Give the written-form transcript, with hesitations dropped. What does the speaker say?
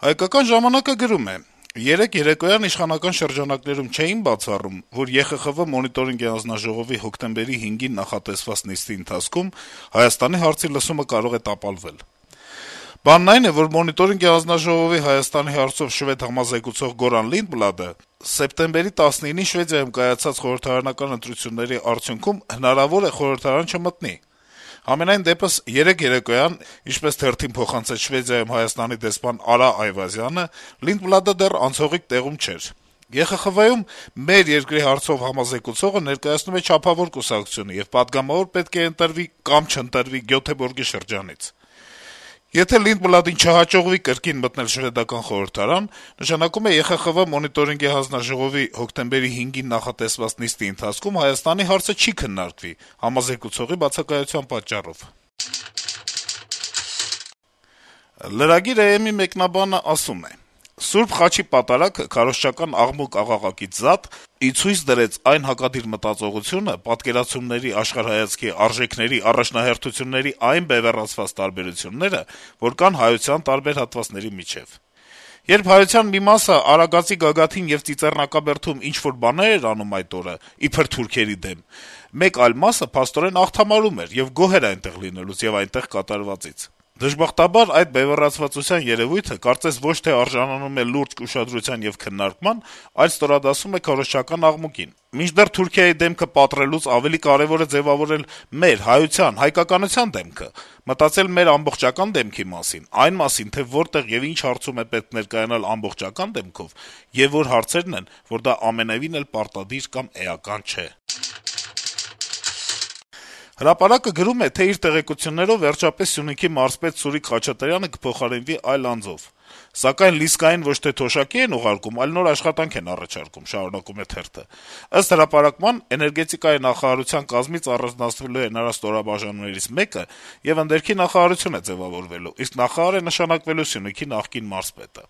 Հայկական ժամանակը գրում է. - «Երեկ երեկոյան իշխանական շրջանակներում չէին բացառում, որ ԵԽԽՎ մոնիտորինգի հանձնաժողովի հոկտեմբերի 5-ին նախատեսված նիստի ընթացքում Հայաստանի հարցի լսումը կարող է տապալվել: Բանն այն է, որ մոնիտորինգի հանձնաժողովի Հայաստանի հարցով շվեդ համազեկուցող Գորան Լինդբլադը սեպտեմբերի 19-ին Շվեդիայում կայացած խորհրդարանական ընտրությունների արդյունքում հնարավոր է խորհրդարան չմտնի: Համենայն դեպս, երեկ երեկոյան, ինչպես թերթին փոխանցեց Շվեդիայում Հայաստանի դեսպան Արա Այվազյանը, Լինդբլադը դեռ անցողիկ տեղում չէր: ԵԽԽՎ-ում «Մեր երկրի հարցով» համազեկուցողը ներկայացնում է չափավոր կուսակցություն եւ պատգամավոր պետք է ընտրվի կամ չընտրվի Գյոթեբորգի շրջանից: Եթե Լինդբլադին չհաջողվի կրկին մտնել շվեդական խորհրդարան, նշանակում է ԵԽԽՎ մոնիտորինգի հանձնաժողովի հոկտեմբերի 5-ին նախատեսված նիստի ընթացքում Հայաստանի հարցը չի քննարկվի համազեկուցողի բացակայության պատճառով»: Lragir.am-ի մեկնաբանը ասում է. - «Սուրբ Խաչի պատարագը քարոզչական աղմուկ-աղաղակից զատ ի ցույց դրեց այն հակադիր մտածողությունը, պատկերացումների, աշխարհայացքի, արժեքների, առաջնահերթությունների այն բեւեռացված տարբերությունները, որ կան հայության տարբեր հատվածների միջեւ: Երբ հայության մի մասը Արագածի գագաթին եւ Ծիծեռնակաբերդում ինչ-որ բաներ էր անում այդ օրը, իբր թուրքերի դեմ, մեկ այլ մասը փաստորեն աղթամարում էր եւ գոհ էր այնտեղ լինելուց եւ այնտեղ կատարվածից: Դժբախտաբար այդ բեւեռացվածության երեւույթը կարծես ոչ թե արժանանում է լուրջ ուշադրության եւ քննարկման, այլ ստորադասում է քարոզչական աղմուկին: Մինչդեռ Թուրքիայի դեմքը պատռելուց ավելի կարեւոր է ձեւավորել մեր, հայության, հայկականության դեմքը, մտածել մեր ամբողջական դեմքի մասին, այն մասին, թե որտեղ եւ ինչ հարցում է պետք ներկայանալ ամբողջական դեմքով, եւ որ հարցերն են, որ դա ամենեւին էլ պարտադիր կամ էական չէ»: «Հրապարակ»-ը գրում է, թե իր տեղեկություններով վերջապես Սյունիքի մարզպետ Սուրիկ Խաչատրյանը կփոխարինվի այլ անձով: Սակայն լիսկային ոչ թե թոշակի են ուղարկում, այլ նոր աշխատանք են առաջարկում: Ըստ հրապարակման, էներգետիկայի նախարարության կազմից առանձնացվելու է նրա ստորաբաժանումներից մեկը եւ ընդերքի նախարարություն է ձեւավորվելու, իսկ նախարար է նշանակվելու Սյունիքի նախկին մարզպետը: